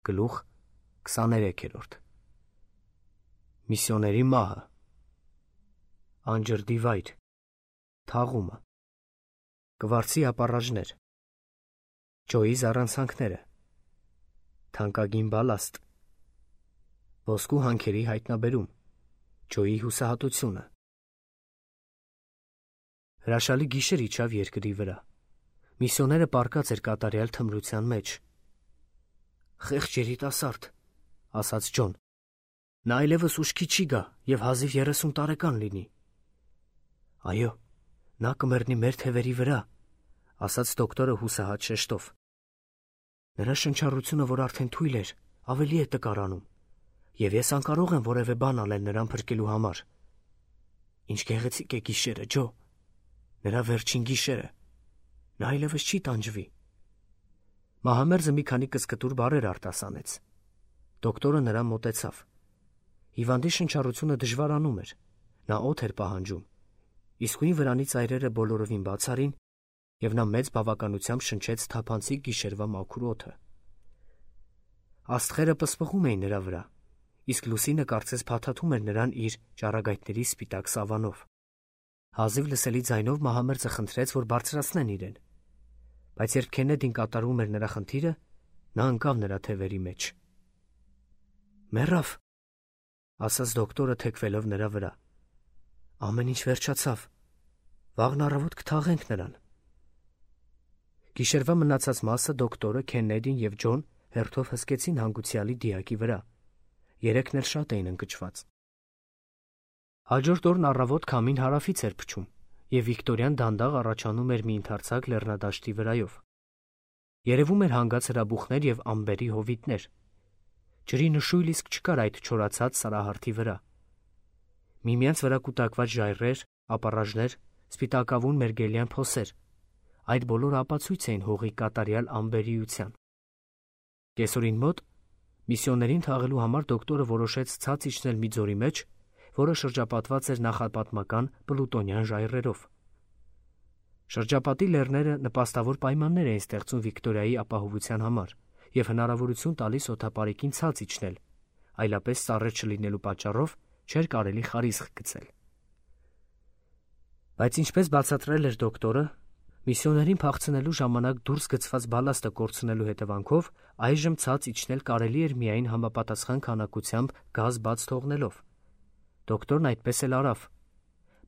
Գլուխ 23 Միսիոների մահը Անջրդի վայր Թաղումը Կվարձի ապառաժներ Ջոյի զառանցանքները Թանկագին բալաստ Ոսկու հանքերի հայտնաբերում Ջոյի հուսահատությունը Հրաշալի գիշեր իջավ երկրի վրա։ Միսիոները պառկած էր կատարյալ թմրության մեջ։ «Խեղճ երիտասարդ», ասաց Ջոն, «նա այլևս ուշքի չի գա և հազիվ 30 տարեկան լինի»։ «Այո, նա կմեռնի մեր թևերի վրա», ասաց դոկտորը հուսահատ շեշտով։ «Նրա շնչառությունը, որ արդեն թույլ էր, ավելի է տկարանում, և ես անկարող եմ որևէ բան անել նրան փրկելու համար»։ «Ինչ գեղեցիկ է գիշերը, Ջո, նրա վերջին գիշերը, նա այլևս չի տանջվի»։ Մահամերձը մի քանի կսկտուր բառեր արտասանեց։ Դոկտորը նրան մոտեցավ։ Հիվանդի շնչառությունը դժվարանում էր, նա օդ էր պահանջում, իսկույն վրանի ծայրերը բոլորովին բաց արին, և նա մեծ բավականությամբ շնչեց թափանցիկ գիշերվա մաքուր օդը։ Աստղերը պսպղում էին նրա վրա, իսկ լուսինը կարծես փաթաթում էր նրան իր ճառագայթների սպիտակ սավանով։ Հազիվ լսելի ձայնով Մահամերձը խնդրեց, որ բարձրացնեն իրեն, բայց երբ Քեննեդին կատարում էր նրա խնդիրը, նա ընկավ նրա թևերի մեջ։ «Մեռավ», ասաց դոկտորը թեքվելով նրա վրա։ «Ամեն ինչ վերջացավ, վաղն առավոտ կթաղենք նրան»։ Գիշերվա մնացած մասը դոկտորը, Քեննեդին և Ջոն հերթով հսկեցին հանգուցյալի դիակի վրա։ Երեքն էլ շատ էին ընկճված։ Հաջորդ օրն առավոտ քամին հարավից էր փչում, և Վիկտորիան դանդաղ առաջանում էր մի ընդարձակ լեռնադաշտի վրայով։ Երևում էր հանգած հրաբուխներ և ամբերի հովիտներ։ Ջրի նշույլ իսկ չկար այդ չորացած սարահարթի վրա։ Միմյանց վրա կուտակված ժայռեր, ապառաժներ, սպիտակավուն մերգելյան փոսեր, այդ բոլորը ապացույց էին հողի կատարյալ անբերիության։ Կեսօրին մոտ միսիոներին թաղելու համար դոկտորը որոշեց ցած իջնել մի ձորի մեջ, որը շրջապատված էր նախապատմական պլուտոնյան ժայռերով։ Շրջապատի լեռները նպաստավոր պայմաններ էին ստեղծում Վիկտորիայի ապահովության համար և հնարավորություն տալիս օդապարեկին ցած իջնել, այլապես ծառեր չլինելու պատճառով չէր կարելի խարիսխ գցել։ Բայց ինչպես բացատրել էր դոկտորը, միսիոներին փախցնելու ժամանակ դուրս գցված բալաստը կորցնելու հետևանքով այժմ ցած իջնել կարելի էր միայն համապատասխան քանակությամբ գազ բաց թողնելով։ Դոկտորն այդպես էլ արավ։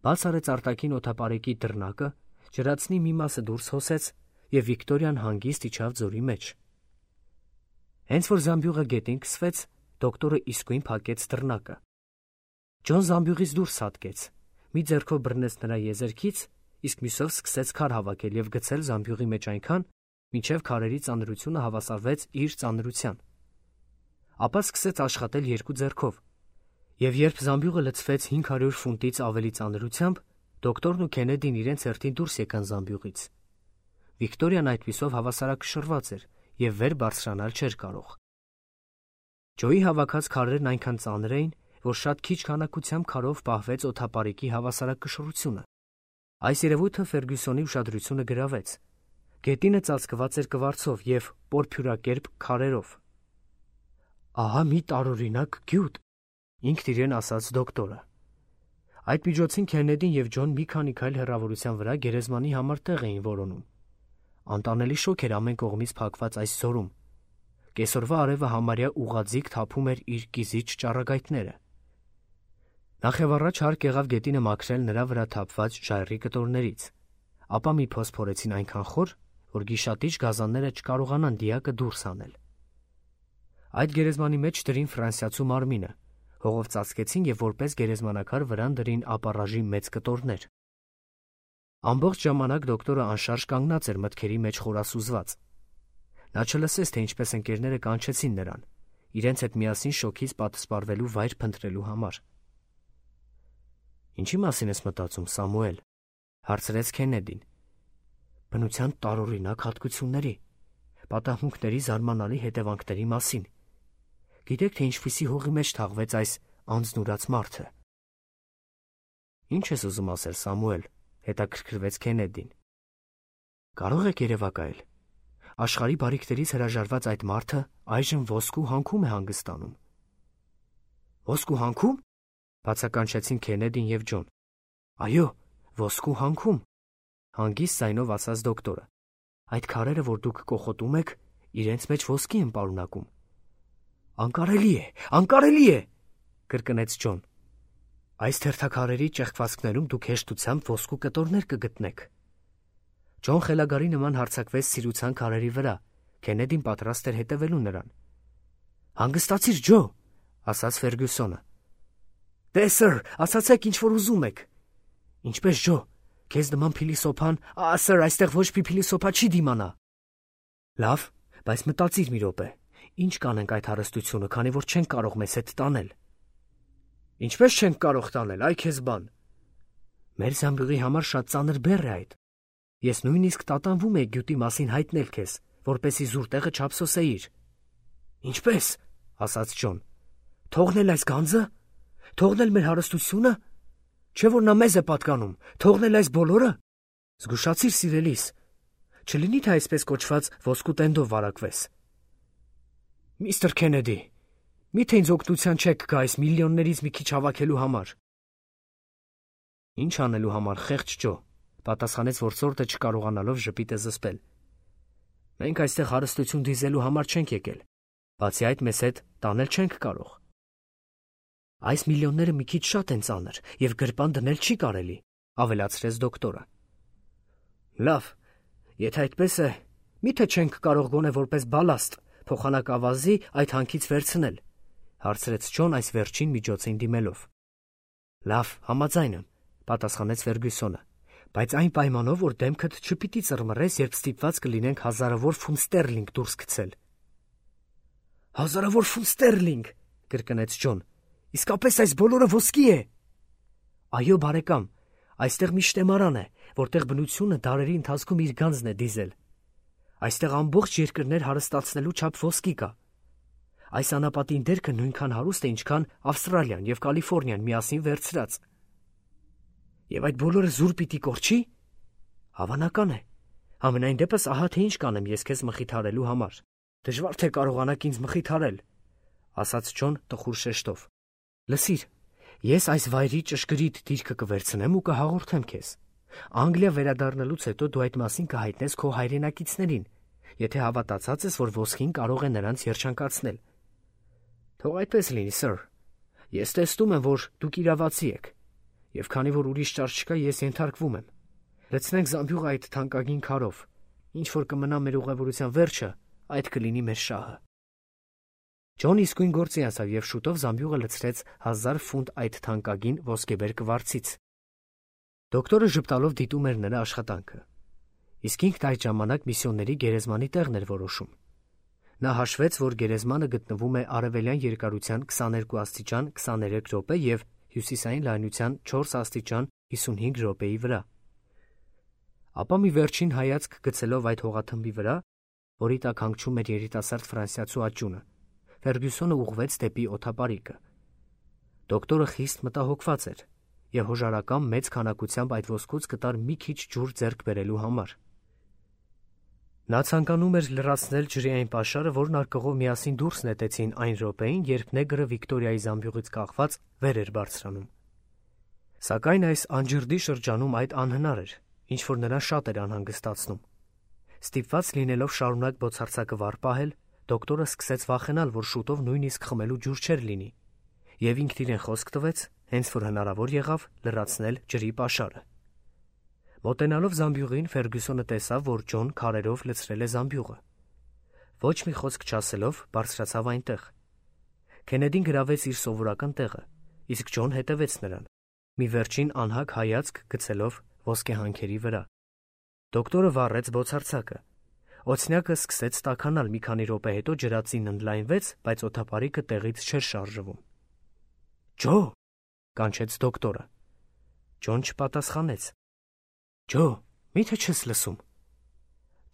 Բաց արեց արտաքին օդապարեկի դռնակը, ջրածնի մի մասը դուրս հոսեց, և Վիկտորիան հանգիստ իջավ ձորի մեջ։ Հենց որ զամբյուղը գետին քսվեց, դոկտորը իսկույն փակեց դռնակը։ Ջոն զամբյուղից դուրս հատկեց, մի ձեռքով բռնեց նրա եզերքից, իսկ մյուսով սկսեց քար հավաքել և գցել զամբյուղի մեջ այնքան, մինչև քարերի ծանրությունը հավասարվեց իր ծանրության։ Ապա սկսեց աշխատել երկու ձեռքով, և երբ զամբյուղը լցվեց 500 ֆունտից ավելի ծանրությամբ, դոկտորն ու Քեննեդին իրենց հերթին դուրս եկան զամբյուղից։ Վիկտորիան այդպիսով հավասարակշռված էր և վեր բարձրանալ չէր կարող։ Ջոյի հավաքած քարերն այնքան ծանր էին, որ շատ քիչ քանակությամբ քարով պահվեց օդապարեկի հավասարակշռությունը։ Այս երևույթը Ֆերգյուսոնի ուշադրությունը գրավեց։ Գետինը ծածկված էր կվարձով և պորփյուրակերպ քարերով։ «Ահա մի տարօրինակ գյուտ», ինքն իրեն ասաց դոկտորը։ Այդ միջոցին Քեննեդին և Ջոն մի քանի քայլ հեռավորության վրա գերեզմանի համար տեղ էին որոնում։ Անտանելի շոգ էր ամեն կողմից փակված այս ձորում։ Կեսօրվա արևը համարյա ուղղաձիգ թափում էր իր կիզիչ ճառագայթները։ Նախևառաջ հարկ եղավ գետինը մաքրել նրա վրա թափված ժայռի կտորներից, ապա մի փոս փորեցին այնքան խոր, որ գիշատիչ գազանները չկարողանան դիակը դուրս հանել։ Այդ գերեզմանի մեջ դրին ֆրանսիացու մարմինը, հողով ծածկեցին և որպես գերեզմանակար վրան դրին ապառաժի մեծ կտորներ։ Ամբողջ ժամանակ դոկտորը անշարժ կանգնած էր մտքերի մեջ խորասուզված։ Նա չլսեց, թե ինչպես ընկերները կանչեցին նրան, իրենց հետ միասին շոգից պատսպարվելու վայր փնտրելու համար։ «Ինչի մասին ես մտածում, Սամուել», հարցրեց Քեննեդին։ «Բնության տարօրինակ հատկությունների, պատահմունքների զարմանալի հետևանքների մասին։ Գիտեք, թե ինչպիսի հողի մեջ թաղվեց այս անձնուրաց մարդը»։ «Ինչ ես ուզում ասել, Սամուել», հետաքրքրվեց Քեննեդին։ «Կարող եք երևակայել»։ Աշխարհի բարիքներից հրաժարված այդ մարդը այժմ ոսկու հանքում է հանգստանում։ Ոսկու հանքում? Բացականչեցին Քենեդին եւ Ջոն։ Այո, ոսկու հանքում, հանգիստ ձայնով ասաց դոկտորը։ Այդ քարերը, որ դուք կոխոտում եք, իրենց մեջ ոսկի են պարունակում։ Անկարելի է, անկարելի է, կրկնեց Ջոն։ Այս թերթաքարերի ճեղքվածքներում դուք հեշտությամբ ոսկու կտորներ կգտնեք։ Ջոն խելագարի նման հարձակվեց սիրուցան քարերի վրա։ Քենեդին պատրաստ էր հետևելու նրան։ Հանգստացիր, Ջո, ասաց Ֆերգյուսոնը։ Դե սըր, ասացեք ինչ որ ուզում եք։ Ինչպես Ջո, քեզ նման փիլիսոփան, սըր, այստեղ ոչ մի փիլիսոփա չի դիմանա։ Լավ, բայց մտածիր մի րոպե։ Ինչ կանենք այդ հարստությունը, քանի որ չենք կարող մեզ հետ տանել։ Ինչպես չենք կարող տանել, այ քեզ բան։ Մեր զամբյուղի համար շատ ծանր բեռ է այդ։ Ես նույնիսկ տատանվում եի գյուտի մասին հայտնել քեզ, որպեսզի զուր տեղը չափսոսեիր։ Ինչպես, ասաց Ջոն։ Թողնել այս գանձը, թողնել մեր հարստությունը, չէ որ նա մեզ է պատկանում, թողնել այս բոլորը։ Զգուշացիր, սիրելիս, չլինի թե այսպես կոչված ոսկու տենդով վարակվես։ Միստր Քենեդի, միթե ինձ օգնության չեք գա այս միլիոններից մի քիչ հավաքելու համար։ Ինչ անելու համար, խեղճ Ջո, պատասխանեց որսորդը չկարողանալով ժպիտը զսպել։ Մենք այստեղ հարստություն դիզելու համար չենք եկել, բացի այդ մեզ հետ տանել չենք կարող։ Այս միլիոնները մի քիչ շատ են ծանր եւ գրպան դնել չի կարելի, ավելացրեց դոկտորը։ Լավ, եթե այդպես է, միթե չենք կարող գոնե որպես բալաստ փոխանակավազի այդ հանքից վերցնել, հարցրեց Ջոն այս վերջին միջոցին դիմելով։ Լավ, համաձայն եմ, պատասխանեց Ֆերգյուսոնը, բայց այն պայմանով, որ դեմքդ չպիտի ծռմռես, երբ ստիպված կլինենք հազարավոր ֆունտ ստերլինգ դուրս գցել։ Հազարավոր ֆունտ ստերլինգ, կրկնեց Ջոն։ Իսկապես այս բոլորը ոսկի է։ Այո, բարեկամ, այստեղ մի շտեմարան է, որտեղ բնությունը դարերի ընթացքում իր գանձն է դիզել։ Այստեղ ամբողջ երկրներ հարստացնելու չափ ոսկի կա։ Այս անապատին դերքը նույնքան հարուստ է, ինչքան Ավստրալիան եւ Կալիֆոռնիան միասին վերցրած։ Եվ այդ բոլորը զուր պիտի կորչի։ Հավանական է։ Համենայն դեպս ահա թե ինչ կանեմ ես քեզ մխիթարելու համար։ Դժվար թե կարողանաք ինձ մխիթարել, ասաց Ջոն տխուր շեշտով։ Լսիր, ես այս վայրի ճշգրիտ դիրքը կվերցնեմ ու կհաղորդեմ քեզ։ Անգլիա վերադառնալուց հետո դու այդ մասին կհայտնես քո հայրենակիցներին, եթե հավատացած ես, որ ոսկին կարող է նրանց երջանկացնել։ Թող այդպես լինի, սըր։ Ես տեսնում եմ, որ դուք իրավացի եք, եւ քանի որ ուրիշ ճար չկա, ես ենթարկվում եմ։ Լցնենք զամբյուղը այդ թանկագին քարով։ Ինչ որ կմնա մեր ուղևորության վերջը, այդ կլինի մեր շահը։ Ջոն իսկույն գործի անցավ եւ շուտով զամբյուղը լցրեց 1000 ֆունտ այդ թանկագին ոսկեբեր կվարձից։ Դոկտորը ժպտալով դիտում էր նրա աշխատանքը։ Իսկ ինքն այդ ժամանակ միսիոների գերեզմանի տեղն էր որոշում։ Նա հաշվեց, որ գերեզմանը գտնվում է արևելյան երկարության 22 աստիճան 23 րոպե եւ հյուսիսային լայնության 4 աստիճան 55 րոպեի վրա։ Ապա մի վերջին հայացք գցելով այդ հողաթմբի վրա, որի տակ հանգչում էր երիտասարդ ֆրանսիացու աճյունը, Ֆերգյուսոնը ուղղվեց դեպի օդապարիկը։ Դոկտորը խիստ մտահոգված էր եւ հոժարական մեծ քանակությամբ այդ ոսկուց կտար մի քիչ ջուր ձեռք բերելու համար։ Նա ցանկանում էր լրացնել ջրի այն պաշարը, որն արկղով միասին դուրս նետեցին այն րոպեին, երբ նեգրը Վիկտորիայի զամբյուղից կախված վեր էր բարձրանում։ Սակայն այս անջրդի շրջանում այդ անհնար էր, ինչ որ նրան շատ էր անհանգստացնում։ Ստիպված լինելով շարունակ բոցարձակը վառ պահել, դոկտորը սկսեց վախենալ, որ շուտով նույնիսկ խմելու ջուր չէր լինի, եւ ինքն իրեն խոսք տվեց, հենց որ հնարավոր եղավ լրացնել ջրի պաշարը։ Մոտենալով զամբյուղին, Ֆերգյուսոնը տեսավ, որ Ջոն քարերով լցրել է զամբյուղը։ Ոչ մի խոսք չասելով, բարձրացավ այնտեղ։ Քենեդին գրավեց իր սովորական տեղը, իսկ Ջոն հետևեց նրան, մի վերջին անհագ հայացք գցելով ոսկեհանքերի վրա։ Դոկտորը վառեց բոցարձակը։ Օձնյակը սկսեց տաքանալ, մի քանի րոպե հետո ջրածին ընդլայնվեց, բայց օդապարիկը տեղից չէր շարժվում։ Ջո, կանչեց դոկտորը։ Ջոն չպատասխանեց։ Ջո, միթե չես լսում։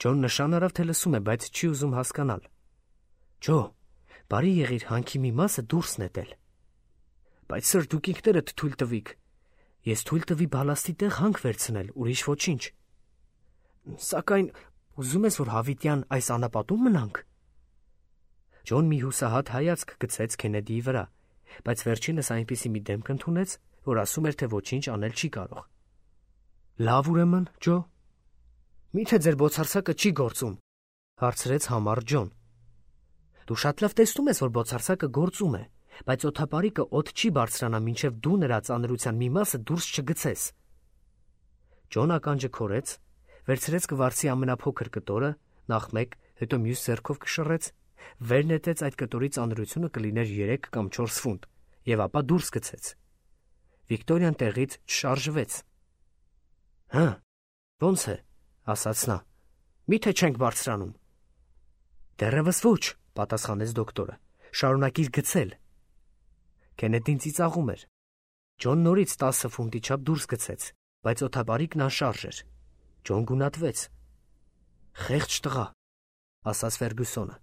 Ջոն նշան արավ, թե լսում է, բայց չի ուզում հասկանալ։ Ջո, բարի եղիր հանքի մի մասը դուրս նետել։ Բայց սր, դուք ինքներդ թույլ տվիք։ Ես թույլ տվի բալաստի տեղ հանք վերցնել, ուրիշ ոչինչ։ Սակայն Ուզում ես, որ հավիտյան այս անապատում մնանք։ Ջոն մի հուսահատ հայացք գցեց Քենեդիի վրա, բայց վերջինս այնպիսի մի դեմք ընդունեց, որ ասում էր, թե ոչինչ անել չի կարող։ Լավ ուրեմն, Ջո։ Միթե ձեր բոցարսակը չի գործում, հարցրեց համառ Ջոն։ Դու շատ լավ տեսնում ես, որ բոցարսակը գործում է, բայց օդապարիկը օդ չի բարձրանա, մինչև դու նրա ծանրության մի մասը դուրս չգցես։ Ջոն ականջը քորեց, վերցրեց կվարցի ամենափոքր կտորը, նախ մեկ, հետո մյուս ձեռքով կշռեց, վեր նետեց այդ կտորի ծանրությունը կլիներ 3 կամ 4 ֆունտ, եւ ապա դուրս գցեց։ Վիկտորիան տեղից չշարժվեց։ Հա, ո՞նց է, ասաց նա։ Միթե չենք բարձրանում։ Դեռևս ոչ, պատասխանեց դոկտորը։ Շարունակիր գցել։ Քենեդին ծիծաղում էր։ Ջոն նորից 10 ֆունտի չափ դուրս գցեց, բայց օդապարիկն անշարժ էր։ Ջոն գունատվեց։ Խեղճ տղա, ասաց Ֆերգուսոնը։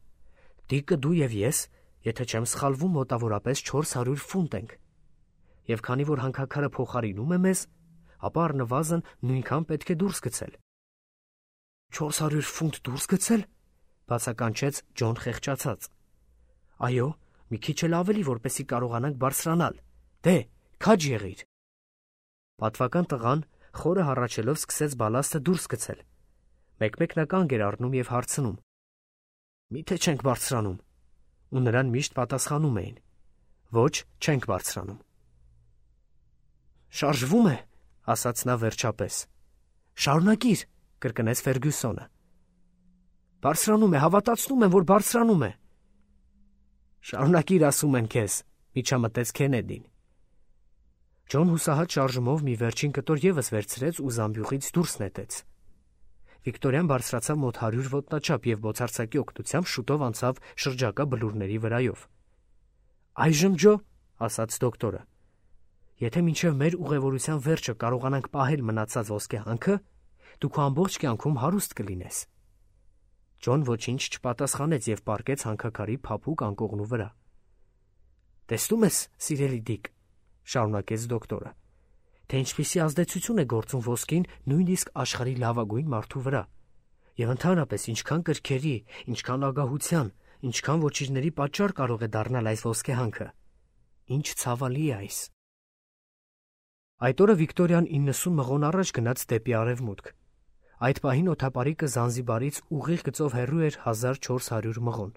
Դիկը դու եւ ես, եթե չեմ սխալվում, մոտավորապես 400 ֆունտ ենք։ Եվ քանի որ հանքաքարը փոխարինում է մեզ, ապա առնվազն նույնքան պետք է դուրս գցել։ 400 ֆունտ դուրս գցել, բացականչեց Ջոն խեղճացած։ Այո, մի քիչ էլ ավելի, որպեսզի կարողանանք բարձրանալ։ Դե, քաջ եղիր։ Պատվական տղան խորը հառաչելով սկսեց բալաստը դուրս գցել։ Մեկ-մեկ նա կանգ էր առնում եւ հարցնում. Միթե չենք բարձրանում։ Ու նրան միշտ պատասխանում էին. Ոչ, չենք բարձրանում։ Շարժվում է, ասաց նա վերջապես։ Շարունակիր, կրկնեց Ֆերգուսոնը։ Բարձրանում է, հավատացնում եմ, որ բարձրանում է։ Շարունակիր, ասում են քեզ, միջամտեց Քենեդին։ Ջոն հուսահատ շարժումով մի վերջին կտոր եւս վերցրեց ու զամբյուղից դուրս նետեց։ Վիկտորիան բարձրացավ մոտ 100 ոտնաչափ եւ բոցարսակի օգնությամբ շուտով անցավ շրջակա բլուրների վրայով։ Այժմ, Ջո, ասաց դոկտորը, եթե մինչև մեր ուղևորության վերջը կարողանանք պահել մնացած ոսկե հանքը, դու քո ամբողջ կյանքում հարուստ կլինես։ Ջոն ոչինչ չպատասխանեց եւ պառկեց հանքաքարի փափուկ անկողնու վրա։ Տեսնում ես, սիրելի Դիկ, շարունակեց դոկտորը, թե ինչպիսի ազդեցություն է գործում ոսկին նույնիսկ աշխարհի լավագույն մարդու վրա, եւ ընդհանրապես ինչքան կրքերի, ինչքան ագահության, ինչքան ոչիրների պատճառ կարող է դառնալ այս ոսկե հանքը։ Ինչ ցավալի է այս։ Այդ օրը Վիկտորիան 90 մղոն առաջ գնաց դեպի արևմուտք։ Այդ պահին օդապարիկը Զանզիբարից ուղիղ գծով հեռու էր 1400 մղոն։